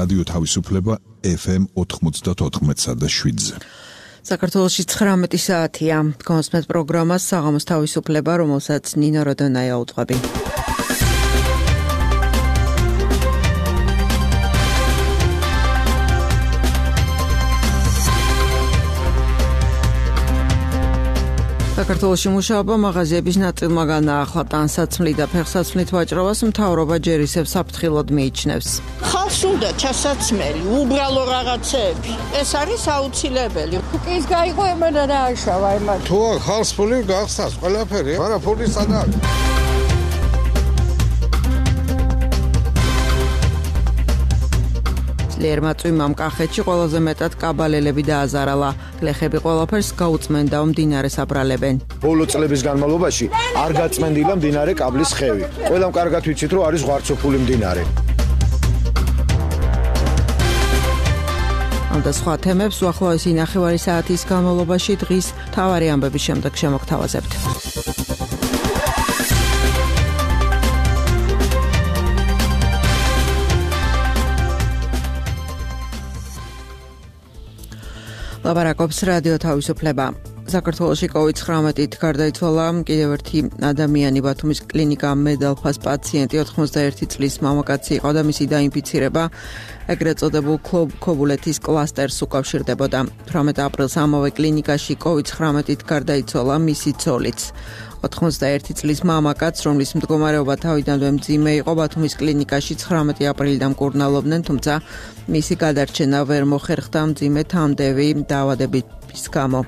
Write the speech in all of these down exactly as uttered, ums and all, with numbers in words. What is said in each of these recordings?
რადიო თავისუფლება ეფ ემ ოთხმოცდაოთხ და შვიდზე. საქართველოში ცხრამეტი საათია. გონსმეთ პროგრამას საღამოს თავისუფლება, რომელსაც ნინო როდონაია უძღვები. საქართველოში მუშაობა მაღაზიების ნაწილმა განაახლა ტანსაცმლი და ფეხსაცმლით ვაჭრობას მთავრობა ჯერ ისევ საფრთხილოდ მიიჩნევს. ხალხს უნდა ჩასაცმელი, უბრალო რაღაცეები. ეს არის აუცილებელი. ის გაიგო ემანა რა აშავა ემანა. თუ ხალხს ფული გახსნას ყველაფერი, მაგრამ ფული სადაა? ლერმაწვიმამ კახეთში ყველაზე მეტად კაბალელები დააზარალა. გლეხები ყველაფერს გაუწმენდა მდინარეს აბრალებენ. ბოლო წლების განმავლობაში არ გაწმენდილა მდინარე კაბლის ხევი. ყველამ კარგად ვიცით, რომ არის ღვარცოფული მდინარე. ამ და სხვა თემებს უახლოესი ნახევარი საათის განმავლობაში დღის მთავარი ამბების შემდეგ შემოგთავაზებთ. ლაპარაკობს რადიო თავისუფლება. საქართველოში კოვიდ ცხრამეტით გარდაიცვალა კიდევ ერთი ადამიანი. ბათუმის კლინიკა მედალფას პაციენტი ოთხმოცდაერთი წლის მამაკაცი იყო და მისი დაინფიცირება ეგრეთ წოდებულ ქობულეთის კლასტერს უკავშირდებოდა. თვრამეტ აპრილს ამავე კლინიკაში კოვიდ ცხრამეტით გარდაიცვალა მისი ცოლიც. ოთხმოცდაერთი წლის მამაკაც, რომლის მდგომარეობა თავიდანვე მძიმე იყო, ბათუმის კლინიკაში ცხრამეტი აპრილიდან მკურნალობდნენ, თუმცა მისი გადარჩენა ვერ მოხერხდა მძიმე თამდევი დაავადების გამო.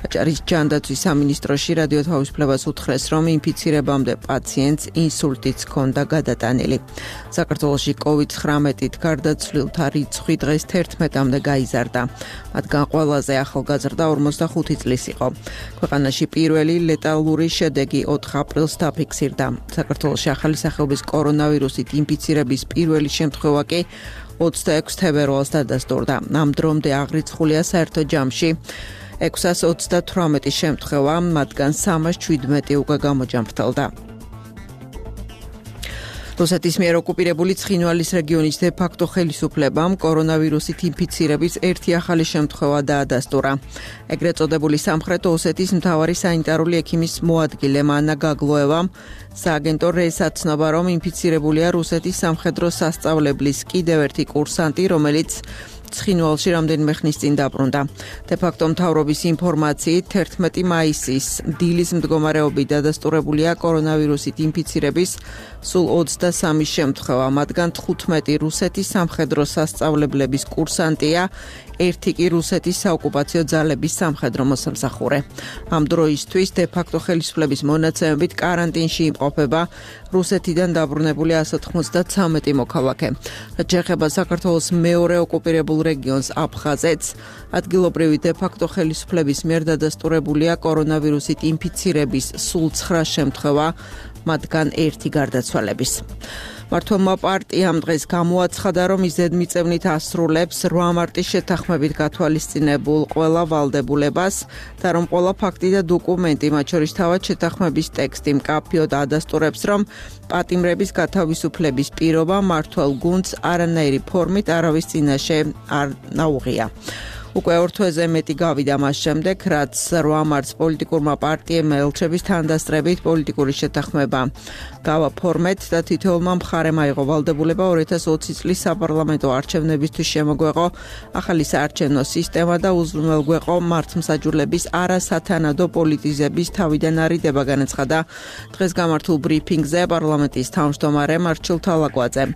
აჭარის ჯანდაცვის სამინისტროში რადიო თავისუფლებას უთხრეს, რომ ინფიცირებამდე პაციენტს ინსულტიც ჰქონდა გადატანილი. საქართველოში კოვიდ ცხრამეტით გარდაცვლილთა რიცხვი დღეს თერთმეტამდე გაიზარდა. მათგან ყველაზე ახალგაზრდა ორმოცდახუთი წლის იყო. ქვეყანაში პირველი ლეტალური შედეგი ოთხ აპრილს დაფიქსირდა. საქართველოში ახალი სახეობის კორონავირუსით ინფიცირების პირველი შემთხვევა კი ოცდაექვსი თებერვალს დადასტურდა. ამ დრომდე აღრიცხულია საერთო ჯამში ექვსას ოცდათვრამეტი შემთხვევა, მათგან სამას შვიდმეტი უკვე გამოჯამრთელდა. რუსეთის მიერ ოკუპირებული ცხინვალის რეგიონის დე-ფაქტო ხელისუფლებამ კორონავირუსით ინფიცირების ერთი ახალი შემთხვევა დაადასტურა. ეგრეთ წოდებული სამხრეთ ოსეთის მთავარი სანიტარული ექიმის მოადგილე მანა გაგლოევამ სააგენტო რეს აცნობა, რომ ინფიცირებულია რუსეთის სამხედრო სასწავლებლის კიდევ ერთი კურსანტი, რომელიც ცხინვალში რამდენიმე ხნის წინ დაბრუნდა. დე-ფაქტო მთავრობის ინფორმაციით თერთმეტი მაისის დილის მდგომარეობით დადასტურებულია კორონავირუსით ინფიცირების სულ ოცდასამი შემთხვევა, მათგან თხუთმეტი რუსეთის სამხედრო სასწავლებლების კურსანტია, ერთი კი რუსეთის საოკუპაციო ძალების სამხედრო მოსამსახურე. ამ დროისთვის დე-ფაქტო ხელისუფლების მონაცემებით კარანტინში იმყოფება რუსეთიდან დაბრუნებული ასი ოცდათვრამეტი მოქალაქე. შეეხება საქართველოს მეორე ოკუპირებულ რეგიონს აფხაზეთს, ადგილობრივი დე-ფაქტო ხელისუფლების მიერ დადასტურებულია კორონავირუსით ინფიცირების სულ ცხრა შემთხვევა, მათგან ერთი გარდაცვალების. მართლმა პარტიამ დღეს გამოაცხადა, რომ ის ზედმიწევნით ასრულებს რვა მარტის შეთანხმებით გათვალისწინებულ ყველა ვალდებულებას და რომ ყველა ფაქტი და დოკუმენტი, მათ შორის თავად შეთანხმების ტექსტი მკაფიოდ ადასტურებს, რომ პატიმრების გათავისუფლების პირობა მმართველ გუნდს არანაირი ფორმით არავის წინაშე არ ნაუღია. უკვე ორ თვეზე მეტი გავიდა მას შემდეგ, რაც რვა მარტს პოლიტიკურმა პარტიებმა ელჩების თანდასწრებით პოლიტიკური შეთანხმება გავაფორმეთ და თითოეულმა მხარემ აიღო ვალდებულება ორი ათას ოცი წლის საპარლამენტო არჩევნებისთვის შემოგვეყო ახალი საარჩევნო სისტემა და უზრუნველგვეყო მართლმსაჯულების არასათანადო პოლიტიზების თავიდან არიდება, განაცხადა დღეს გამართულ ბრიფინგზე პარლამენტის თავმჯდომარე მარჩილ თალაკვაძემ.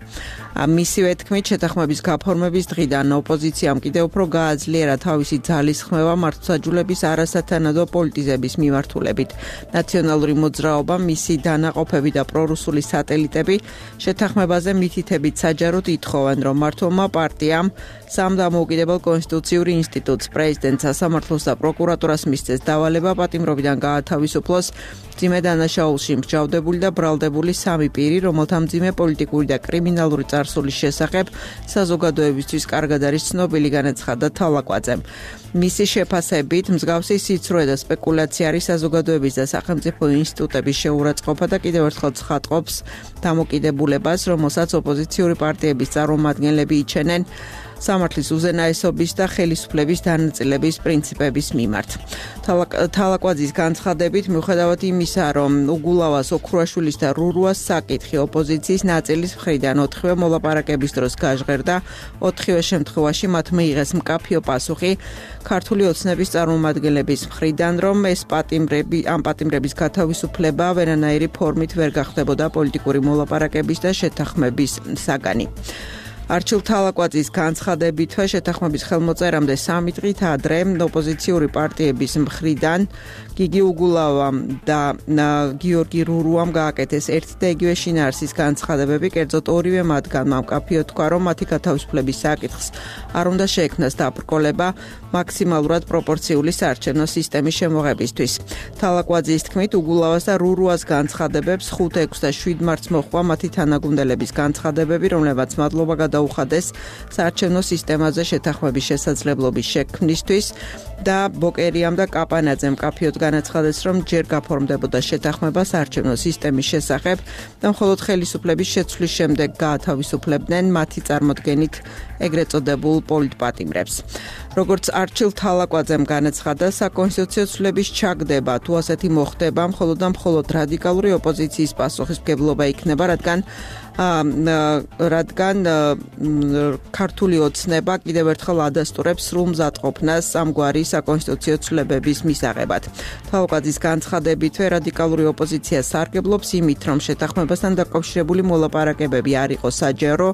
მისივე თქმით, შეთანხმების გაფორმების დღიდან ოპოზიციამ კიდევ უფრო გააძლიერა თავისი ძალისხმევა მართლმსაჯულების არასათანადო პოლიტიზების მიმართულებით. ნაციონალური მოძრაობა, მისი დანაყოფები და პრორუსული სატელიტები შეთანხმებაზე მითითებით საჯაროდ ითხოვენ, რომ მმართველმა პარტიამ სამდამოუკიდებელ კონსტიტუციური ინსტიტუტს, პრეზიდენტს, სასამართლოს და პროკურატურას მისცეს დავალება პატიმრობიდან გაათავისუფლოს მძიმე დანაშაულში მსჯავრდებული და ბრალდებული სამი პირი, რომელთა მძიმე პოლიტიკური და კრიმინალური წარსულის შესახებ საზოგადოებისთვის კარგად არის ცნობილი, განაცხადა თალაკვაძე. თალაკვაძემ. მისი შეფასებით მსგავსი სიცრუე და სპეკულაცია არის საზოგადოების და სახელმწიფო ინსტიტუტების შეურაცხყოფა და კიდევ ერთხელ ცხადყოფს დამოკიდებულებას, რომელსაც ოპოზიციური პარტიების წარმომადგენლები იჩენენ სამართლის უზენაესობის და ხელისუფლების დანაწილების პრინციპების მიმართ. თალაკვაძის განცხადებით, მიუხედავად იმისა, რომ უგულავას, ოქრუაშვილის და რურუას საკითხი ოპოზიციის ნაწილის მხრიდან ოთხივე მოლაპარაკების დროს გაჟღერდა, ოთხივე შემთხვევაში მათ მიიღეს მკაფიო პასუხი ქართული ოცნების წარმომადგენლების მხრიდან, რომ ეს პატიმრები, ამ პატიმრების გათავისუფლება ვერანაირი ფორმით ვერ გახდებოდა პოლიტიკური მოლაპარაკების და შეთანხმების საგანი. არჩილ თალაკვაძის განცხადებითვე შეთანხმების ხელმოწერამდე სამი დღით ადრე ოპოზიციური პარტიების მხრიდან გიგი უგულავამ და გიორგი რურუამ გააკეთეს ერთი და იგივე შინაარსის განცხადებები, კერძოდ ორივე მათგანმა მკაფიოდ თქვა, რომ მათი გათავისუფლების საკითხს არ უნდა შეექმნას დაბრკოლება მაქსიმალურად პროპორციული საარჩევნო სისტემის შემოღებისთვის. თალაკვაძის თქმით, უგულავას და რურუას განცხადებებს ხუთ, ექვს და შვიდ მარტს მოჰყვა მათი თანაგუნდელების განცხადებები, რომლებმაც მადლობა გადაუხადეს საარჩევნო სისტემაზე შეთანხმების შესაძლებლობის შექმნისთვის და ბოკერიამ და კაპანაძემ მკაფიოდ განაცხადეს, რომ ჯერ გაფორმდებოდა შეთანხმება საარჩევნო სისტემის შესახებ და მხოლოდ ხელისუფლების შეცვლის შემდეგ გაათავისუფლებდნენ მათი წარმოდგენით ეგრეთ წოდებულ პოლიტპატიმრებს. როგორც არჩილ თალაკვაძემ განაცხადა, საკონსტიტუციო ცვლილების ჩაგდება თუ ასეთი მოხდება, მხოლოდ და მხოლოდ რადიკალური ოპოზიციის პასუხისმგებლობა იქნება, რადგან რადგან ქართული ოცნება კიდევ ერთხელ ადასტურებს სრულ მზადყოფნას ამგვარი საკონსტიტუციო ცვლილებების მისაღებად. თალაკვაძის განცხადებითვე რადიკალური ოპოზიცია სარგებლობს იმით, რომ შეთანხმებასთან დაკავშირებული მოლაპარაკებები არ იყო საჯარო,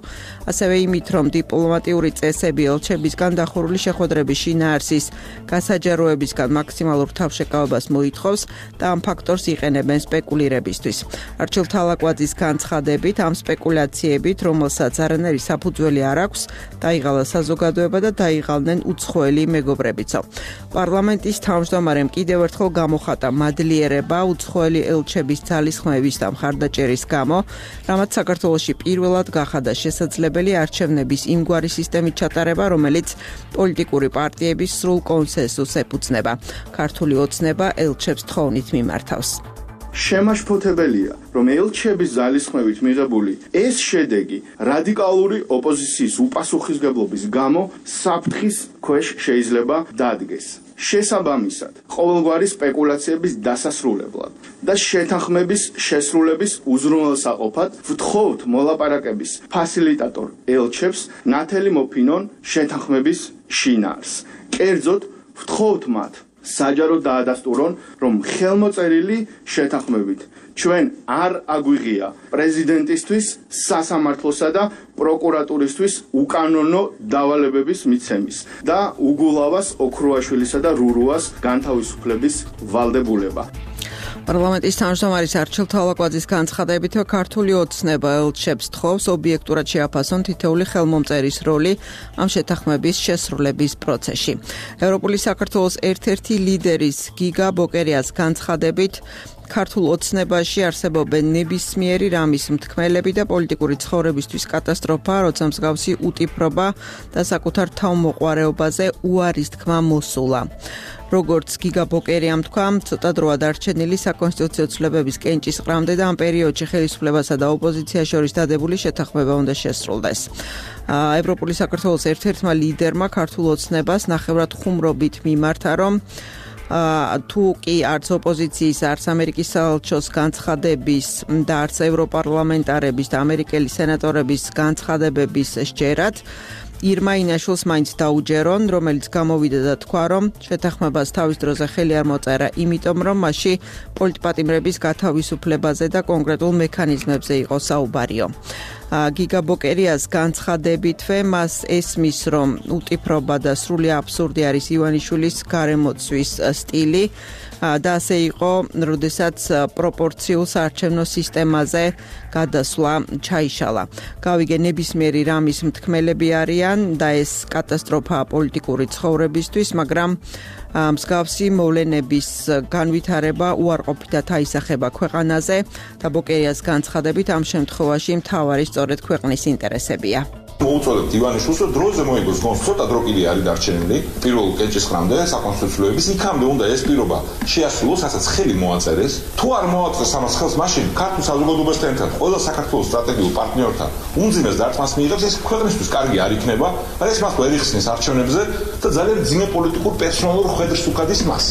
ასევე იმით, რომ დიპლომატიური წესები ელჩებისგან დახურული შეხვედრების შინაარსის გასაჯაროებისგან მაქსიმალურ თავშეკავებას მოითხოვს და ამ ფაქტორს იყენებენ სპეკულირებისთვის. არჩილ თალაკვაძის განცხადებით ამ სპეკულაციებით, რომელსაც არანაირი საფუძველი არ აქვს, დაიღალა საზოგადოება და დაიღალნენ უცხოელი მეგობრებიცო. პარლამენტის თავმჯდომარემ კიდევ ერთხელ გამოხატა მადლიერება უცხოელი ელჩების ძალისხმევის და მხარდაჭერის გამო, რამაც საქართველოში პირველად გახადა შესაძლებელი არჩევნების იმგვარი სისტემით ჩატარება, რომელიც პოლიტიკური პარტიების სრულ კონსენსუსს ეფუძნება. ქართული ოცნება ელჩებს თხოვნით მიმართავს. შემაშფოთებელია, რომ ელჩების ძალისხმევით მიღებული ეს შედეგი რადიკალური ოპოზიციის უპასუხისმგებლობის გამო საფრთხის ქვეშ შეიძლება დადგეს. შესაბამისად, ყოველგვარი სპეკულაციების დასასრულებლად და შეთანხმების შესრულების უზრუნველსაყოფად ვთხოვთ მოლაპარაკების ფასილიტატორ ელჩებს ნათელი მოფინონ შეთანხმების შინაარს. კერძოდ ვთხოვთ მათ საჯაროდ დაადასტურონ, რომ ხელმოწერილი შეთანხმებით ჩვენ არ აგვიღია პრეზიდენტისთვის, სასამართლოსა და პროკურატურისთვის უკანონო დავალებების მიცემის და უგულავას, ოქრუაშვილისა და რურუას განთავისუფლების ვალდებულება. პარლამენტის თავმჯდომარის არჩილ თალაკვაძის განცხადებით, ქართული ოცნება ელჩებს თხოვს ობიექტურად შეაფასონ თითოეული ხელმომწერის როლი ამ შეთანხმების შესრულების პროცესში. ევროპული საქართველოს ერთ-ერთი ლიდერის გიგა ბოკერიას განცხადებით, ქართულ ოცნებაში არსებობენ ნებისმიერი რამის მთქმელები და პოლიტიკური ცხოვრებისთვის კატასტროფა, როცა მსგავსი უტიფრობა და საკუთარ თავმოყვარეობაზე უარის თქმა მოსულა. როგორც გიგა ბოკერიამ თქვა, ცოტა დროა დარჩენილი საკონსტიტუციო ცვლილებების კენჭისყრამდე და ამ პერიოდში ხელისუფლებასა და ოპოზიციას შორის დადებული შეთანხმება უნდა შესრულდეს. ევროპული საქართველოს ერთ-ერთმა ლიდერმა ქართულ ოცნებას ნახევრად ხუმრობით მიმართა, რომ თუ კი არც ოპოზიციის, არც ამერიკის საელჩოს განცხადების და არც ევროპარლამენტარების და ამერიკელი სენატორების განცხადებების სჯერად ირმა ინაშვილს მაინც დაუჯერონ, რომელიც გამოვიდა და თქვა, რომ შეთანხმებას თავის დროზე ხელი არ მოწერა, იმიტომ რომ მასში პოლიტპატიმრების გათავისუფლებაზე და კონკრეტულ მექანიზმებზე იყო საუბარიო. გიგა ბოკერიას განცხადებითვე მას ესმის, რომ უტიფრობა და სრული აბსურდი არის ივანიშვილის გარემოცვის სტილი და ასე იყო, როდესაც პროპორციულ საარჩევნო სისტემაზე გადასვლა ჩაიშალა. გავიგე ნებისმიერი რამის მთქმელები არიან და ეს კატასტროფაა პოლიტიკური ცხოვრებისთვის, მაგრამ მსგავსი მოვლენების განვითარება უარყოფითად აისახება ქვეყანაზე და ბოკერიას განცხადებით ამ შემთხვევაში მთავარი სწორედ ქვეყნის ინტერესებია. მოუწოდებთ ივანიშვილს, რომ დროზე მოიგოს გონს, ცოტა დრო კიდე არის დარჩენილი, პირველ კენჭისყრამდე საკონსტიტუციოების, იქამდე უნდა ეს პირობა შეასრულოს, რასაც ხელი მოაწერეს. თუ არ მოაწერეს ამას ხელს, მაშინ ქართულ საზოგადოებასთან ერთად ყველა საქართველოს სტრატეგიულ პარტნიორთან უმძიმეს დარტყმას მიიღებს, ეს ქვეყნისთვის კარგი არ იქნება, მაგრამ ეს მას ვერ იხსნის არჩევნებზე და ძალიან ძიმე პოლიტიკურ პერსონალურ ხედრს უხადის მას.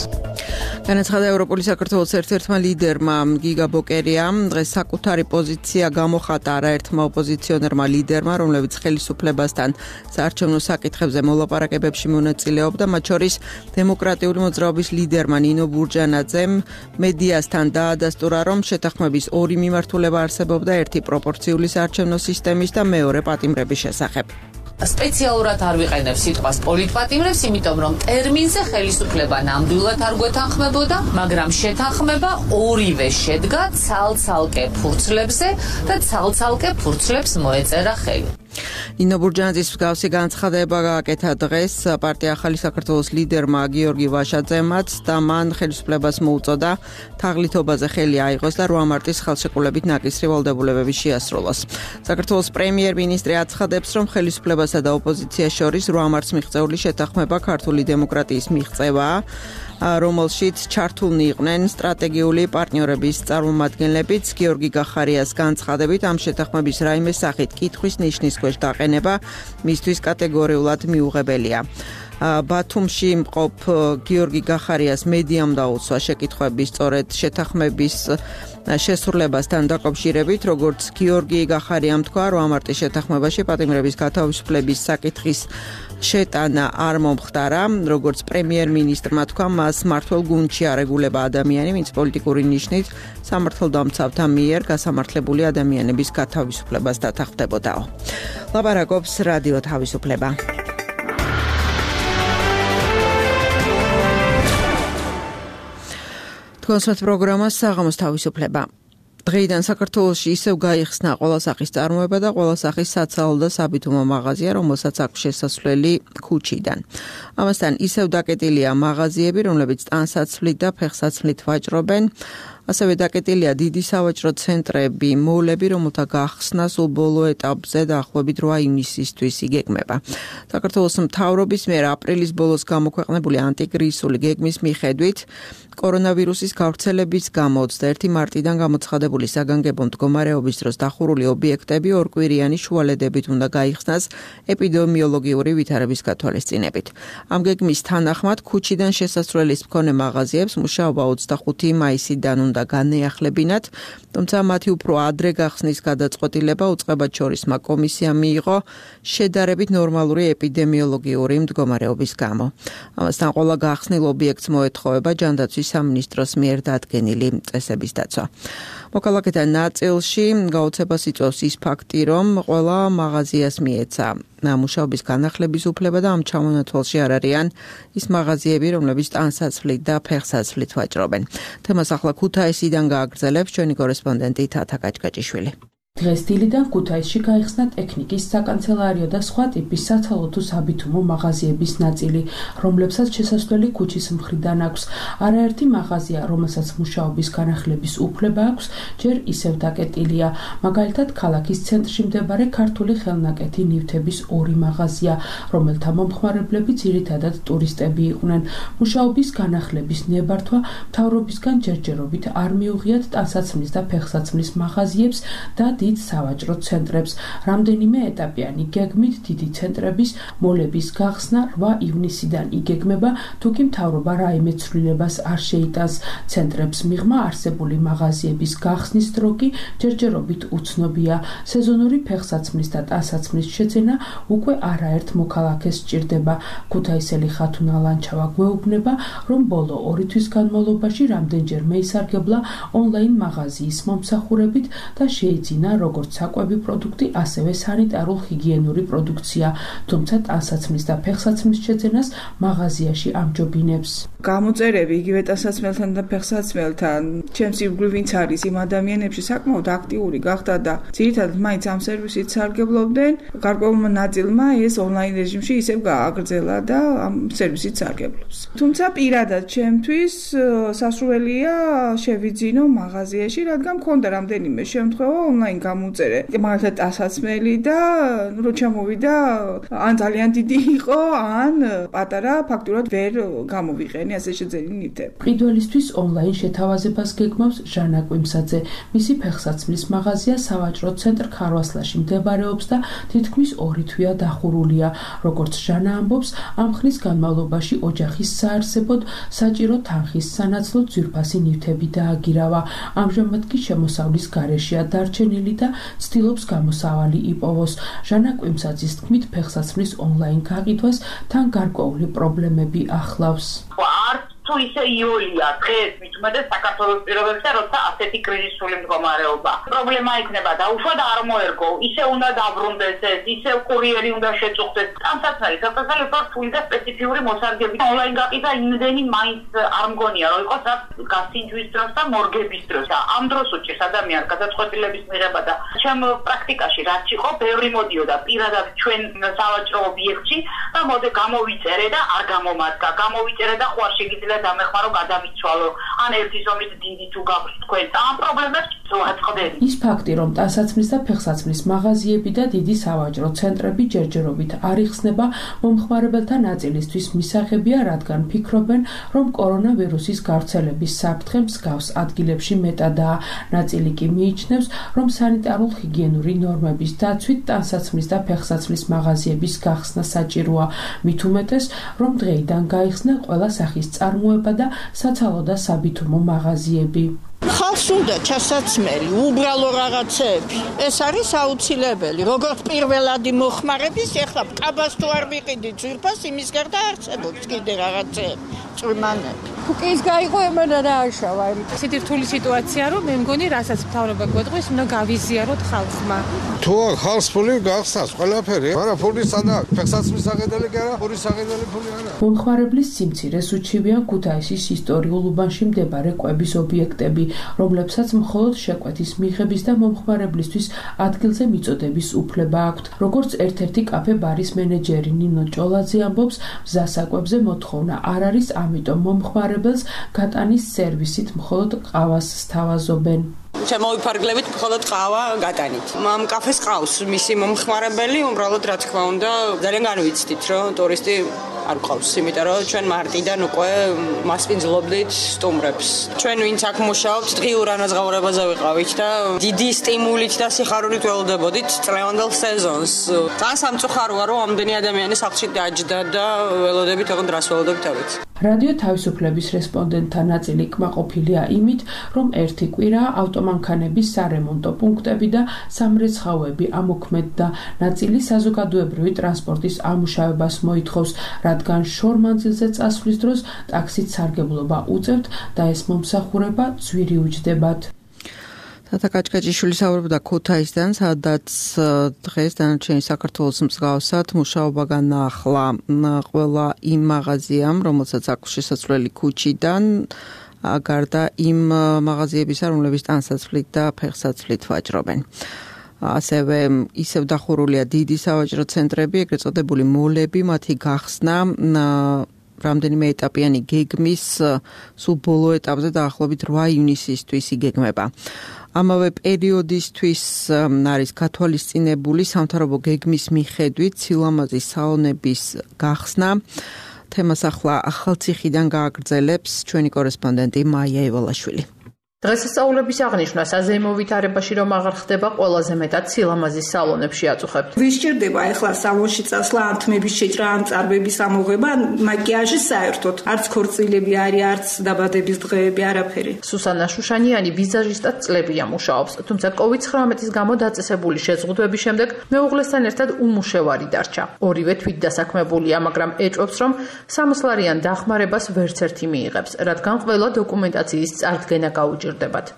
განაცხადა ევროპული საქართველოს ერთ-ერთმა ლიდერმა გიგა ბოკერიამ, დღეს საკუთარი პოზიცია გამოხატა არაერთმა ოპოზიციონერმა ლიდერმა, რომლებიც ხელისუფლებასთან საარჩევნო საკითხებზე მოლაპარაკებებში მონაწილეობდა, მათ შორის დემოკრატიული მოძრაობის ლიდერმა ნინო ბურჯანაძემ მედიასთან დაადასტურა, რომ შეთანხმების ორი მიმართულება არსებობდა, ერთი პროპორციული საარჩევნო სისტემის და მეორე პატიმრების შესახებ. სპეციალურად არ ვიყენებ სიტყვას პოლიტპატიმრებს, იმიტომ რომ ტერმინზე ხელისუფლება ნამდვილად არ გვეთანხმებოდა, მაგრამ შეთანხმება ორივე შედგა ცალ-ცალკე ფურცლებზე და ცალ-ცალკე ფურცლებს მოეწერა ხელი. ნინო ბურჯანაძის მსგავსი განცხადება გააკეთა დღეს პარტია ახალი საქართველოს ლიდერმა გიორგი ვაშაძემაც და მან ხელისუფლებას მოუწოდა თაღლითობაზე ხელი აიღოს და რვა მარტის ხელშეკრულებით ნაკისრი ვალდებულებები შეასრულოს. საქართველოს პრემიერ-მინისტრი აცხადებს, რომ ხელისუფლებასა და ოპოზიციას შორის რვა მარტს მიღწეული შეთანხმება ქართული დემოკრატიის მიღწევაა, რომელშიც ჩართულნი იყვნენ სტრატეგიული პარტნიორების წარმომადგენლებიც. გიორგი გახარიას განცხადებით, ამ შეთანხმების რაიმე სახით კითხვის ნიშნის ქვეშ დაყენება მისთვის კატეგორიულად მიუღებელია. ბათუმში მყოფ გიორგი გახარიას მედიამ დაუცვა შეკითხვები სწორედ შეთანხმების შესრულებასთან დაკავშირებით, როგორც გიორგი გახარიამ თქვა, რვა მარტის შეთანხმებაში პატიმრების გათავისუფლების საკითხის შეტანა არ მომხდარა, როგორც პრემიერ-მინისტრმა თქვა, მას მართლ გუნდში არეგულება ადამიანი, ვინც პოლიტიკური ნიშნით სამართალდამცავთა მიერ გასამართლებული ადამიანების გათავისუფლებას დათანხმდებოდაო. ლაპარაკობს რადიო თავისუფლება. კონსერტ პროგრამა საღამოს თავისუფლება. დღეიდან საქართველოში ისევ გაიხსნა ყველა სახის წარმოება და ყველა სახის საცალო და საბითუმო მაღაზია, რომელსაც აქვს შესასვლელი ქუჩიდან. ამასთან ისევ დაკეტილია მაღაზიები, რომლებიც ტანსაცმლით და ფეხსაცმლით ვაჭრობენ. ასევე დაკეტილია დიდი სავაჭრო ცენტრები, მოლები, რომელთა გახსნა სულ ბოლო ეტაპზე დაახლოებით რვა ივნისისთვის იგეგმება. საქართველოს მთავრობის მიერ აპრილის ბოლოს გამოქვეყნებული ანტიკრიზისული გეგმის მიხედვით კორონავირუსის გავრცელების გამო ოცდაერთი მარტიდან გამოცხადებული საგანგებო მდგომარეობის დროს დახურული ობიექტები ორკვირიანი შუალედებით უნდა გაიხსნას ეპიდემიოლოგიური ვითარების გათვალისწინებით. ამ გეგმის თანახმად ქუჩიდან შესასვლელის მქონე მაღაზიებს მუშაობა ოცდახუთი მაისიდან უნდა განეახლებინათ, თუმცა მათი უფრო ადრე გახსნის გადაწყვეტილება უწყებად შორისმა კომისიამ მიიღო შედარებით ნორმალური ეპიდემიოლოგიური მდგომარეობის გამო. ამასთან ყველა გახსნილ ობიექტს მოეთხოვება ჯანდაცვის სამინისტროს მიერ დადგენილი წესების დაცვა. მოქალაქეთა ნაწილში გაოცებას იწვევს ის ფაქტი, რომ ყველა მაღაზიას მიეცა მუშაობის განახლების უფლება და ამ ჩამონათვალში არ არიან ის მაღაზიები, რომლებიც ტანსაცმლით და ფეხსაცმლით ვაჭრობენ. თემას ახლა ქუთაისიდან გააგრძელებს ჩვენი კორესპონდენტი თათა გაჭგაჭიშვილი. დღეს დილიდან ქუთაისში გაიხსნა ტექნიკის, საკანცელარიო და სხვა ტიპის საცალო თუ საბითუმო მაღაზიების ნაწილი, რომლებსაც შესასვლელი ქუჩის მხრიდან აქვს. არაერთი მაღაზია, რომელსაც მუშაობის განახლების უფლება აქვს, ჯერ ისევ დაკეტილია. მაგალითად, ქალაქის ცენტრში მდებარე ქართული ხელნაკეთი ნივთების ორი მაღაზია, რომელთა მომხმარებლები ძირითადად ტურისტები იყვნენ. მუშაობის განახლების ნებართვა მთავრობისგან ჯერჯერობით არ მიუღიათ ტანსაცმლის და ფეხსაცმლის მაღაზიებს და დიდ სავაჭრო ცენტრებს. რამდენიმე ეტაპიანი გეგმით დიდი ცენტრების მოლების გახსნა რვა ივნისიდან იგეგმება, თუკი მთავრობა რაიმე ცვლილებას არ შეიტანს. ცენტრებს მიღმა არსებული მაღაზიების გახსნის დრო კი ჯერჯერობით უცნობია. სეზონური ფეხსაცმლის და ტანსაცმლის შეძენა უკვე არაერთ მოქალაქეს სჭირდება. ქუთაისელი ხათუნა ლანჩავა გვეუბნება, რომ ბოლო ორი თვის განმავლობაში რამდენჯერმე ისარგებლა ონლაინ მაღაზიის მომსახურებით და შეიძინა როგორც საკვები პროდუქტი, ასევე სანიტარულ-ჰიგიენური პროდუქცია, თუმცა ტანსაცმლის და ფეხსაცმლის შეძენას მაღაზიაში ამჯობინებს. გამოწერები იგივე ტანსაცმელთან და ფეხსაცმელთან, ჩემს ირგვლივ ვინც არის იმ ადამიანებში საკმაოდ აქტიური გახდა და ძირითადად მაინც ამ სერვისით სარგებლობდნენ. გარკვეულმა ნაწილმა ეს ონლაინ რეჟიმში ისევ გააგრძელა და ამ სერვისით სარგებლობს. თუმცა პირადად ჩემთვის სასურველია შევიძინო მაღაზიაში, რადგან მქონდა რამდენიმე შემთხვევა ონლაინ ონლაინ გამოვწერე მაგალითად ტანსაცმელი და რო ჩამოვიდა ან ძალიან დიდი იყო, ან პატარა ფაქტურად ვერ გამოვიყენე ასე შეძენი ნივთები. მყიდველისთვის ონლაინ შეთავაზებას გეგმავს ჟანა კვიმსაძე. მისი ფეხსაცმლის მაღაზია სავაჭრო ცენტრ ქარვასლაში მდებარეობს და თითქმის ორი თვეა დახურულია. როგორც ჟანა ამბობს, ამ ხნის განმავლობაში ოჯახის საარსებოდ საჭირო თანხის სანაცვლოდ ძვირფასი ნივთები დააგირავა. ამჟამად კი შემოსავლის გარეშეა დარჩენილი და ცდილობს გამოსავალი იპოვოს. ჟანა კვიმსაძის თქმით, ფეხსაცმლის ონლაინ გაყიდვას თან გარკვეული პრობლემები ახლავს. თუ ისე იოლია დღეს მithumedes საქართველოს პირობებში როცა ასეთი კრიზისული მდგომარეობა პრობლემა იქნება და უშუალოდ არ მოერგო ისე უნდა დაბრუნდეს ეს ისე კურიერი უნდა შეწუხდეს ტანსაცმელი საქართველოს ფული და სპეციფიური მოსარგები ონლაინ გაყიდა იმდენი მაინც არ მგონია რომ იყოს რაც გასინჯვის დროს და მორგების დროს და ამ დროს უჭირს ადამიანს გადაწყვეტილების მიღება და ჩემ პრაქტიკაში რაც იყო ბევრი მოდიოდა პირადად ჩვენ სავაჭრო ობიექტში და მოდი გამოვიწერე და არ გამომადგა გამოვიწერე და ხوار შეგიძლია დამეხმარო გადამიცვალო ან ერთი ზომის დიდი თუ გაქვს თქვენ და ამ პრობლემებს ვაწყდები. ის ფაქტი, რომ ტანსაცმლის და ფეხსაცმლის მაღაზიები და დიდი სავაჭრო ცენტრები ჯერჯერობით არ იხსნება, მომხმარებელთა ნაწილისთვის მისაღებია, რადგან ფიქრობენ, რომ კორონავირუსის გავრცელების საფრთხე მსგავს ადგილებში მეტადაა. ნაწილი კი მიიჩნევს, რომ სანიტარულ-ჰიგიენური ნორმების დაცვით ტანსაცმლის და ფეხსაცმლის მაღაზიების გახსნა საჭიროა. მით უმეტეს, რომ დღეიდან გაიხსნა ყველა სახის წარმოება და საცალო და საბითუმო მაღაზიები. ხალხს უნდა ჩასაცმელი, უბრალო რაღაცები. ეს არის აუცილებელი. როგორც პირველადი მოხმარების, ეხლა კაბას თუ არ ვიყიდით ძვირფას, იმის გარდა არსებობს კიდე რაღაცები, წვიმანები. კუკის გაიღო ემანა რა აშავა. ისეთი რთული სიტუაცია რომ მე მგონი რასაც მთავრობა გვეტყვის, უნდა გავიზიაროთ ხალხმა. თუ ხალხს ფული გახსნას ყველაფერი, მაგრამ ფული სადაა? ფეხსაცმლის აღედელი კი არა, ფულის აღედელი ფული არა. მომხმარებლის სიმცირეს უჩივიან ქუთაისის ისტორიულ უბანში მდებარე კვების ობიექტები, რომლებსაც მხოლოდ შეკვეთის მიღების და მომხმარებლისთვის ადგილზე მიწოდების უფლება აქვთ. როგორც ერთ-ერთი კაფე ბარის მენეჯერი ნინო ჭოლაძე ამბობს, მზასაკვებზე მოთხოვნა არ არის, ამიტომ მომხმარებელს გატანის სერვისით მხოლოდ ყავას სთავაზობენ. შემოვიფარგლებით მხოლოდ ყავა გატანით. ამ კაფეს ყავს მისი მომხმარებელი, უბრალოდ რა თქმა უნდა, ძალიან განვიცდით, რომ ტურისტი არ ყავს, იმიტომ რომ ჩვენ მარტიდან უკვე მასპინძლობდით სტუმრებს. ჩვენ ვინც აქ მუშაობთ, დღიურ ანაზღაურებაზე ვიყავით და დიდი სტიმულით და სიხარულით ველოდებოდით წლევანდელ სეზონს. ძალიან სამწუხაროა, რომ ამდენი ადამიანი სახლში დაჯდა და ველოდებით, ოღონდ რას ველოდებით ავით. რადიო თავისუფლების რესპონდენტთა ნაწილი კმაყოფილია იმით, რომ ერთი კვირა ავტომანქანების სარემონტო პუნქტები და სამრეცხაოები ამოქმედდა. ნაწილი საზოგადოებრივი ტრანსპორტის ამუშავებას მოითხოვს, რადგან შორმანძილზე წასვლის დროს ტაქსით სარგებლობა უწევთ და ეს მომსახურება ძვირი უჯდებათ. თათა კაჭკაჭიშვილი საუბრობდა ქუთაისთან, სადაც დღეს დანარჩენი საქართველოს მსგავსად მუშაობა განაახლა ყველა იმ მაღაზიამ, რომელსაც აქვს შესასვლელი ქუჩიდან, გარდა იმ მაღაზიებისა, რომლებიც ტანსაცმლით და ფეხსაცმლით ვაჭრობენ. ასევე ისევ დახურულია დიდი სავაჭრო ცენტრები, ეგრეთ წოდებული მოლები, მათი გახსნა რამდენიმე ეტაპიანი გეგმის სულ ბოლო ეტაპზე დაახლოებით რვა ივნისისთვის იგეგმება. ამავე პერიოდისთვის არის გათვალისწინებული სამთავრობო გეგმის მიხედვით სილამაზის სალონების გახსნა. თემას ახლა ახალციხიდან გააგრძელებს ჩვენი კორესპონდენტი მაია ევალაშვილი. დღესასწაულების აღნიშვნა საზეიმო ვითარებაში რომ აღარ ხდება, ყველაზე მეტად სილამაზის სალონებში აწუხებთ. ვის სჭირდება ახლა სალონში წასვლა, ან თმების შეჭრა, ან წარბების ამოღება, მაკიაჟი საერთოდ, არც ქორწილები არის, არც დაბადების დღეები, არაფერი. სუსანა შუშანიანი ვიზაჟისტად წლებია მუშაობს, თუმცა კოვიდ ცხრამეტის გამო დაწესებული შეზღუდვების შემდეგ მეუღლესთან ერთად უმუშევარი დარჩა. ორივე თვითდასაქმებულია, მაგრამ ეჭვობს, რომ სამოსლარიან დახმარებას ვერც ერთი მიიღებს, რადგან ყველა დოკუმენტაციის წარდგენა გაუჭირდება.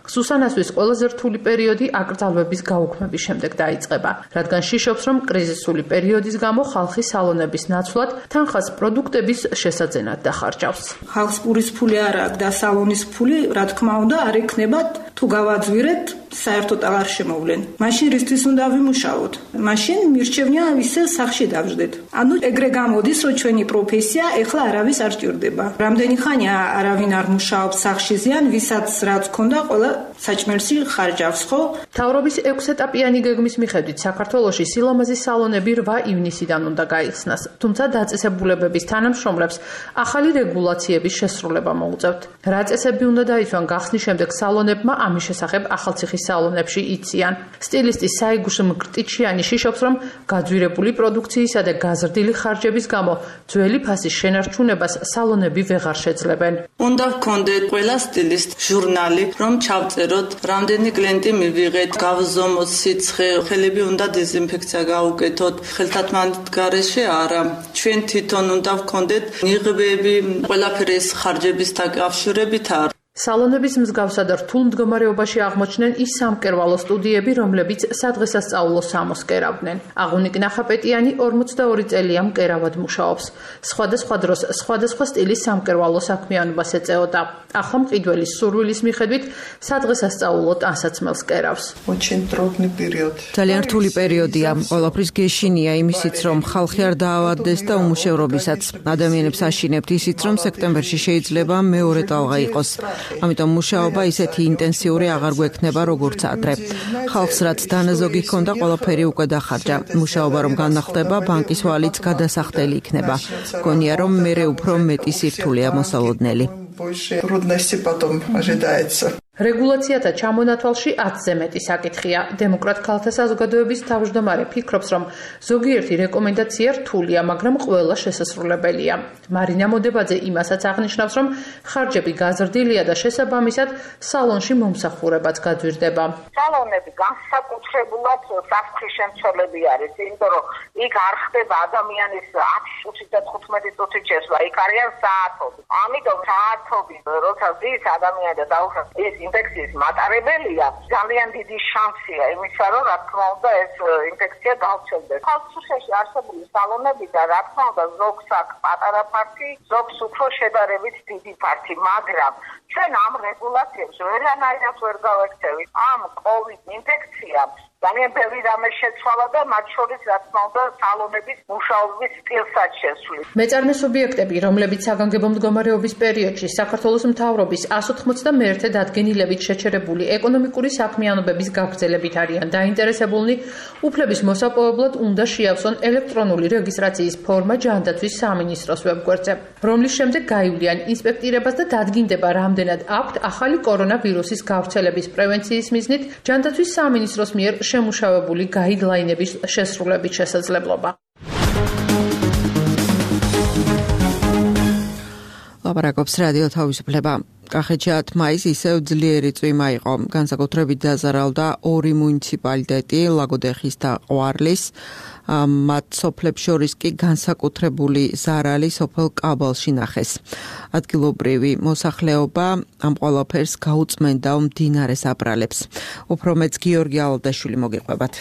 სუსანასთვის ყველაზე რთული პერიოდი აკრძალვების გაუქმების შემდეგ დაიწყება, რადგან შიშობს, რომ კრიზისული პერიოდის გამო ხალხი სალონების ნაცვლად თანხას პროდუქტების შესაძენად დახარჯავს. ხალხს პურის ფული არ აქვს და სალონის ფული, რა თქმა უნდა, არ ექნება თუ გავაძვირეთ საერთოდ აღარ შემოვლენ. მაშინ რისთვის უნდა ვიმუშაოთ? მაშინ მირჩევნია ისე სახში დავждეთ. ანუ ეგრე გამოდის, რომ ჩვენი პროფესია ეხლა არავის არ ჭირდება. რამდენი ხანია არავინ არ მუშაობს სახში ზიან, ვისაც რაც ქონდა, ყველა საჭმელში ხარჯავს, ხო? მთავრობის ექვსეტაპიანი გეგმის მიხედვით საქართველოში სილამაზის სალონები რვა ივნისიდან უნდა გაიხსნას, თუმცა დაწესებულებების თანამშრომლებს ახალი რეგულაციების შესრულება მოუწევთ. რა წესები უნდა დაიცვან გახსნის შემდეგ სალონებმა, ამის შესახებ ახალციხის სალონებში იციან. სტილისტი საიგუშ მკრტიჩიანი შიშობს, რომ გაძვირებული პროდუქციისა და გაზრდილი ხარჯების გამო ძველი ფასის შენარჩუნებას სალონები ვეღარ შეძლებენ. უნდა ვქონდეთ ყველა სტილისტ ჟურნალი, რომ ჩავწეროთ, რამდენი კლიენტი მივიღეთ, გავზომოთ სიცხე, ხელები უნდა დეზინფექცია გაუკეთოთ, ხელთათმანით გარეშე არა. ჩვენ თვითონ უნდა ვქონდეთ ნიღბები, ყველაფერი ეს ხარჯების დაკავშირებით არ. სალონების მსგავსად რთულ მდგომარეობაში აღმოჩნდნენ ის სამკერვალო სტუდიები, რომლებიც სადღესასწაულო სამოს კერავდნენ. აღუნიკ ნახაპეტიანი ორმოცდაორი წელია მკერავად მუშაობს. სხვადასხვა დროს სხვადასხვა სტილის სამკერვალო საქმიანობას ეწეოდა. ახლა მყიდველის სურვილის მიხედვით სადღესასწაულო ტანსაცმელს კერავს. ძალიან რთული პერიოდია. ყველაფრის გეშინია იმისიც, რომ ხალხი არ დაავადდეს და უმუშევრობისაც. ადამიანებს აშინებთ ისიც, რომ სექტემბერში შეიძლება მეორე ტალღა იყოს. ამიტომ მუშაობა ისეთი ინტენსიური აღარ გვექნება როგორც ადრე. ხალხს რაც დანაზოგი ჰქონდა, ყველაფერი უკვე დახარჯა. მუშაობა რომ განახლდება, ბანკის ვალიც გადასახდელი იქნება. გონია რომ მერე უფრო მეტი სირთულეა მოსალოდნელი. რეგულაციათა ჩამონათვალში ათზე მეტი საკითხია. დემოკრატ ქალთა საზოგადოების თავმჯდომარე ფიქრობს, რომ ზოგიერთი რეკომენდაცია რთულია, მაგრამ ყველა შესასრულებელია. მარინა მოდებაძე იმასაც აღნიშნავს, რომ ხარჯები გაზრდილია და შესაბამისად სალონში მომსახურებაც გაძვირდება. სალონები განსაკუთრებულად საფრთხის შემცველები არის, იმიტომ რომ იქ არ ხდება ადამიანის ათი წუთი და თხუთმეტი წუთი ჩესვლა, იქ არიან საათები. ამიტომ საათები, როცა ზის ადამიანი და დაუხსნას ეს ინფექციის მატარებელია, ძალიან დიდი შანსია იმისა, რომ რა თქმა უნდა ეს ინფექცია გავრცელდეს. ხალხში არსებული სალონები და რა თქმა უნდა ზოგს აქვს პატარა ფართი, ზოგს უფრო შედარებით დიდი ფართი, მაგრამ ჩვენ ამ რეგულაციებს ვერანაირად ვერ გავექცევით. ამ კოვიდ ინფექციამ ძალიან ბევრი რამე შეცვალა და მათ შორის რა თქმა უნდა სალონების მუშაობის სტილსაც შესვლით. მეწარმე სუბიექტები, რომლებიც საგანგებო მდგომარეობის პერიოდში საქართველოს მთავრობის εκατს ოცდამეერთე დადგენილებით შეჩერებული ეკონომიკური საქმიანობების გაგრძელებით არიან დაინტერესებულნი, უფლების მოსაპოვებლად უნდა შეავსონ ელექტრონული რეგისტრაციის ფორმა ჯანდაცვის სამინისტროს ვებგვერდზე, რომლის შემდეგ გაივლიან ინსპექტირებას და დადგინდება, რამდენად აქვთ ახალი კორონავირუსის გავრცელების პრევენციის მიზნით ჯანდაცვის სამინისტროს მიერ შემუშავებული გაიდლაინების შესრულების შესაძლებლობა. ლაპარაკობს რადიო თავისუფლება. კახეთში ათი მაისს ისევ ძლიერი წვიმა იყო. განსაკუთრებით დაზარალდა ორი მუნიციპალიტეტი, ლაგოდეხის და ყვარლის. მათ სოფლებს შორის კი განსაკუთრებული ზარალი სოფელ კაბალში ნახეს. ადგილობრივი მოსახლეობა ამ ყველაფერს გაუწმენდა მდინარეს აბრალებს. უფრო მეც გიორგი ალდაშვილი მოგიყვებათ.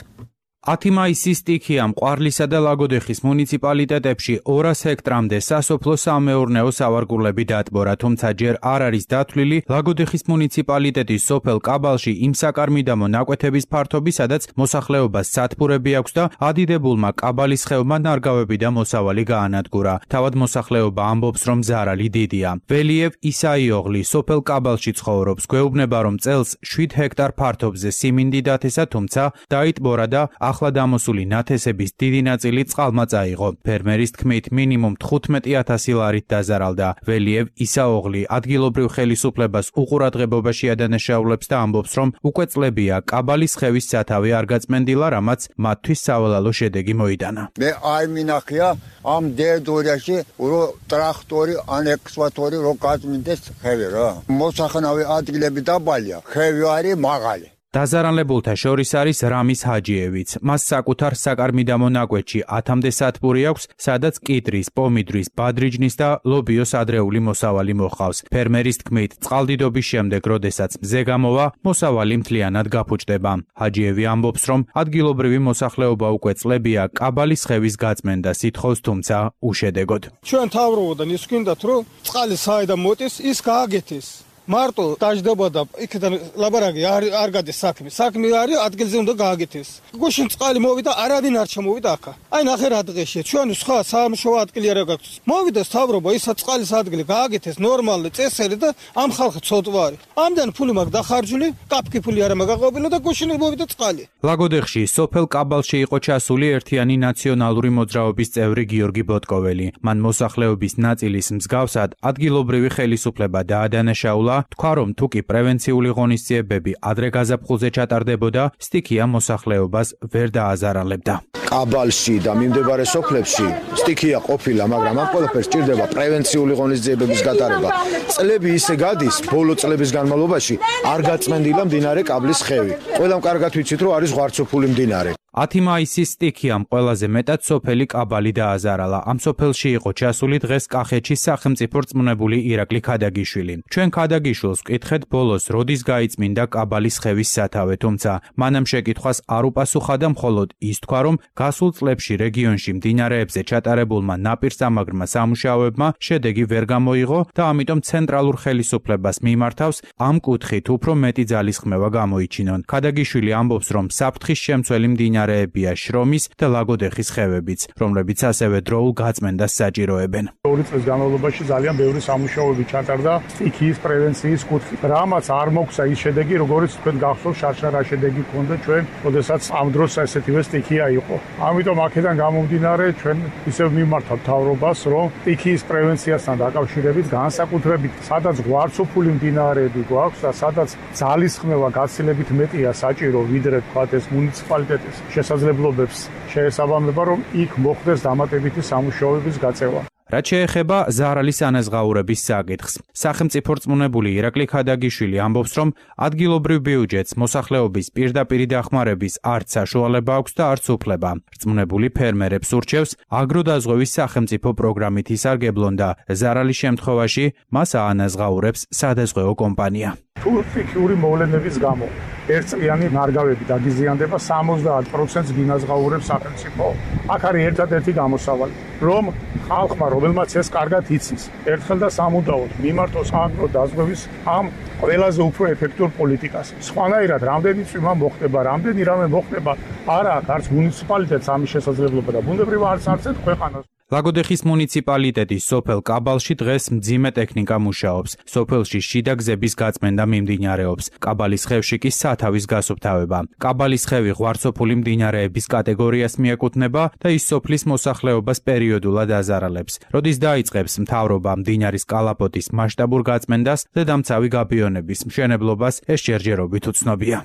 ათი მაისის სტიქია მყარლისა და ლაგოდეხის მუნიციპალიტეტებში ორას ჰექტრამდე სასოფლო სამეურნეო სავარგულები დატბორა, თუმცა ჯერ არ არის დათვლილი ლაგოდეხის მუნიციპალიტეტის სოფელ კაბალში იმ საკარმიდამო ნაკვეთების ფართობი, სადაც მოსახლეობას სათბურები აქვს და ადიდებულმა კაბალის ხევმა ნარგავები და მოსავალი გაანადგურა. თავად მოსახლეობა ამბობს, რომ ზარალი დიდია. ველიევ ისაიოღლი სოფელ კაბალში ცხოვრობს, გვეუბნება, რომ წელს შვიდ ჰექტარ ფართობზე სიმინდი დათესა, თუმცა დაიტბორა და ახლა დამოსული ნათესების დიდი ნაწილი წყალმა წაიღო. ფერმერის თქმით, მინიმუმ თხუთმეტი ათასი ლარით დაზარალდა. ველიევ ისაოღლი ადგილობრივ ხელისუფლებას უყურადღებობაში ადანაშაულებს და ამბობს, რომ უკვე წლებია კაბალის ხევის სათავე არ გაწმენდილა, რამაც მათთვის სავალალო შედეგი მოიტანა. მე არ მინახია ამ დერდორიაში რო ტრაქტორი ან ექსვატორი რო გაწმენდეს ხევი რა. მოსახნავი ადგილები დაბალია, ხევი არის მაღალი. დაზარალებულთა შორის არის რამის ჰაჯიევიც. მას საკუთარ საკარმიდამო ნაკვეთში ათამდე სათბური აქვს, სადაც კიდრის, პომიდრის, ბადრიჯნის და ლობიოს ადრეული მოსავალი მოჰყავს. ფერმერის თქმით, წყალდიდობის შემდეგ, როდესაც მზე გამოვა, მოსავალი მთლიანად გაფუჭდება. ჰაჯიევი ამბობს, რომ ადგილობრივი მოსახლეობა უკვე წლებია კაბალის ხევის გაწმენდა სითხოვს, თუმცა უშედეგოდ. ჩვენ თავრობოდან ის გვინდათ, რომ წყალი საიდან მოდის, ის გააგეთეს. მარტო დაждდება და იქიდან ლაბარაკი არ არ გადის საქმე. საქმე არის ადგილზე უნდა გააკეთეს. გუშინ წყალი მოვიდა, არავინ არ ჩამოვიდა ახლა. აი ნახე რა დღეშია. ჩვენ სხვა სამშობლო ადგილი არ გაქვს. მოვიდა მთავრობა, ისა წყალის ადგილი გააკეთეს ნორმალური წესერი და ამ ხალხი ცოტვარი. ამდენ ფული მაგ დახარჯული, კაფკი ფული არ მაგაყობილა და გუშინ მოვიდა წყალი. ლაგოდეხში სოფელ კაბალში იყო ჩასული ერთიანი ნაციონალური მოძრაობის წევრი გიორგი ბოტკოველი. მან მოსახლეობის ნაწილის მსგავსად ადგილობრივი ხელისუფლება დაადანაშაულა, თქვა რომ თუ კი პრევენციული ღონისძიებები ადრე გაზაფხულზე ჩატარდებოდა, სტიქია მოსახლეობას ვერ დააზარალებდა. კაბალში და მიმდებარე სოფლებში სტიქია ყოფილა, მაგრამ ამ ყველაფერს სჭირდება პრევენციული ღონისძიებების გატარება. წლები ისე გადის, ბოლო წლების განმავლობაში არ გაწმენდილა მდინარე კაბლის ხევი. ყველამ კარგად ვიცით, რომ არის ღვარცოფული მდინარე. ათი მაისის სტიქიამ ყველაზე მეტად სოფელი კაბალი დააზარალა. ამ სოფელში იყო ჩასული დღეს კახეთში სახელმწიფო რწმუნებული ირაკლი ქადაგიშვილი. ჩვენ ქადაგიშვილს ვკითხეთ ბოლოს როდის გაიწმინდა კაბალის ხევის სათავე, თუმცა მანამ შეკითხვას არ უპასუხა და მხოლოდ ის თქვა, რომ გასულ წლებში რეგიონში მდინარეებზე ჩატარებულმა ნაპირსამაგრმა სამუშაოებმა შედეგი ვერ გამოიღო და ამიტომ ცენტრალურ ხელისუფლებას მიმართავს ამ კუთხით უფრო მეტი ძალისხმევა გამოიჩინონ. ქადაგიშვილი ამბობს, რომ საფრთხის შემცველი მდინარე მდინარეებია შრომის და ლაგოდეხის ხევებიც, რომლებიც ასევე დროულ გაწმენდას საჭიროებენ. ორი წლის განმავლობაში ძალიან ბევრი სამუშაოები ჩატარდა სტიქიის პრევენციის კუთხით. რამაც არ მოგცა ის შედეგი, როგორც თქვენ გახსოვთ, შარშა რა შედეგი ჰქონდა ჩვენ, როდესაც ამ დროს ესეთივე სტიქია იყო. ამიტომ აქედან გამომდინარე ჩვენ ისევ მიმართავთ მთავრობას, რომ სტიქიის პრევენციასთან დაკავშირებით განსაკუთრებით სადაც ღვარცოფული მდინარეები გვაქვს და სადაც ძალისხმევა გაცილებით მეტია საჭირო, ვიდრე თქვათ ეს მუნიციპალიტეტის შესაძლებლობებს შეესაბამება, რომ იქ მოხდეს დამატებითი სამუშაოების გაწევა. რაც შეეხება ზარალის ანაზღაურების საკითხს, სახელმწიფო რწმუნებული ირაკლი ქადაგიშვილი ამბობს, რომ ადგილობრივ ბიუჯეტს მოსახლეობის პირდაპირი დახმარების არც საშუალება აქვს და არც უფლება. რწმუნებული ფერმერებს ურჩევს აგროდაზღვევის სახელმწიფო პროგრამით ისარგებლონ და ზარალის შემთხვევაში მას აანაზღაურებს სადაზღვეო კომპანია. თუ ფიქიური მოვლენების გამო ერთწლიანი ნარგავები დაგიზიანდება, სამოცდაათ პროცენტს გინაზღაურებს სახელმწიფო. აქ არის ერთადერთი გამოსავალი, რომ ხალხმა, რომელმაც ეს კარგად იცის, ერთხელ და სამუდაოდ მიმართოს აგროდაზღვევის ამ ყველაზე უფრო ეფექტურ პოლიტიკას. სხვანაირად, რამდენი წვიმა მოხდება, რამდენი რამე მოხდება, არა აქვს არც მუნიციპალიტეტს ამის შესაძლებლობა და ბუნებრივ არც არც ქვეყანას. ლაგოდეხის მუნიციპალიტეტის სოფელ კაბალში დღეს მძიმე ტექნიკა მუშაობს. სოფელში შიდა გზების გაწმენდა მიმდინარეობს. კაბალის ხევში კი სათავის გასუფთავება. კაბალის ხევი ღვარცოფული მდინარეების კატეგორიას მიეკუთვნება და ის სოფლის მოსახლეობას პერიოდულად აზარალებს. როდის დაიწყებს მთავრობა მდინარის კალაპოტის მასშტაბურ გაწმენდას და დამცავი გაბიონების მშენებლობას, ეს ჯერჯერობით უცნობია.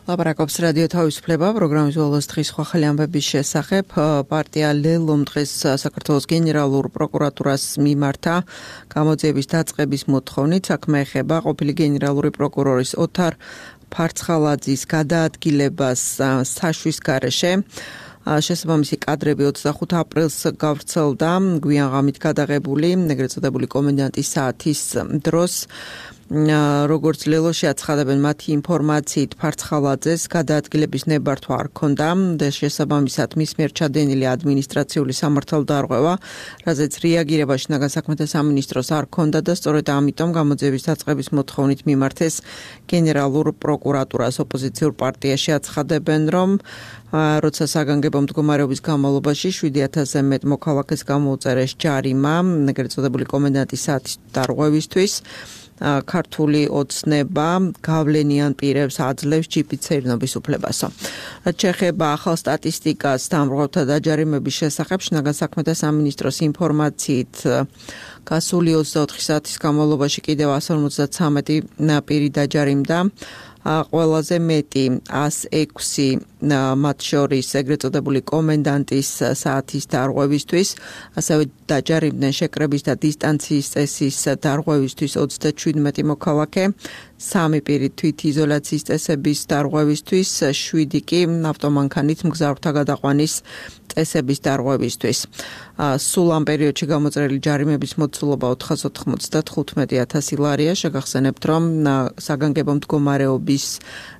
ლაპარაკობს რადიო თავისუფლება პროგრამის ვალოს დღის სხვა ხელი ამბების შესახებ. პარტია ლელომ დღეს საქართველოს გენერალურ პროკურატურას მიმართა გამოძიების დაწყების მოთხოვნით. საქმე ეხება ყოფილი გენერალური პროკურორის ოთარ ფარცხალაძის გადაადგილებას საშვის გარეშე. შესაბამისი კადრები ოცდახუთ აპრილს გავრცელდა გვიან ღამით გადაღებული ეგრეთ წოდებული კომენდანტის საათის დროს. როგორც ლელოში აცხადებენ მათი ინფორმაციით ფარცხალაძეს გადაადგილების ნებართვა არ ჰქონდა და შესაბამისად მის მიერ ჩადენილი ადმინისტრაციული სამართალდარღვევა, რაზეც რეაგირება შინაგან საქმეთა სამინისტროს არ ჰქონდა და სწორედ ამიტომ გამოძიების დაწყების მოთხოვნით მიმართეს გენერალურ პროკურატურას. ოპოზიციურ პარტიაში აცხადებენ, რომ როცა საგანგებო მდგომარეობის განმავლობაში შვიდი ათასზე მეტ მოქალაქეს გამოუწერეს ჯარიმა ეგრეთ წოდებული კომენდანტის საათის დარღვევისთვის. ქართული ოცნება გავლენიან პირებს აძლევს ჯიპით სეირნობის უფლებასო. რაც შეეხება ახალ სტატისტიკას დამრღვევთა დაჯარიმების შესახებ, შინაგან საქმეთა სამინისტროს ინფორმაციით გასული ოცდაოთხი საათის განმავლობაში კიდევ ასი ორმოცდათვრამეტი პირი დაჯარიმდა. ყველაზე მეტი ას ექვსი მათ შორის ეგრეთ წოდებული კომენდანტის საათის დარღვევისთვის, ასევე დაჯარიმდნენ შეკრების და დისტანციის წესის დარღვევისთვის ოცდაჩვიდმეტი მოქალაქე, სამი პირი თვითიზოლაციის წესების დარღვევისთვის, შვიდი კი ავტომანქანით მგზავრთა გადაყვანის წესების დარღვევისთვის. სულ ამ პერიოდში გამოწერილი ჯარიმების მოცულობა ოთხას ოთხმოცდათხუთმეტი ათასი ლარია. შეგახსენებთ, რომ საგანგებო მდგომარეობის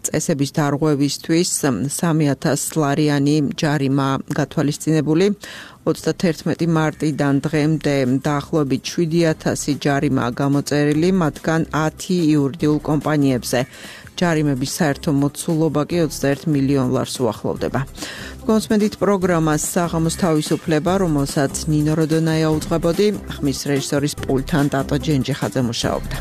წესების დარღვევისთვის სამი ათას ლარიანი ჯარიმა გათვალისწინებული. ოცდაათერთმეტი მარტიდან დღემდე დაახლოებით შვიდი ათასი ჯარიმაა გამოწერილი, მათგან ათი იურიდიულ კომპანიებზე. ჯარიმების საერთო მოცულობა კი ოცდაერთ მილიონ ლარს უახლოვდება. კონსმედით პროგრამას საღამოს თავისუფლება, რომელსაც ნინო როდონაია უძღვებოდი, ხმის რეჟისორის პულტთან ტატო ჯენჯიხაძე მუშაობდა.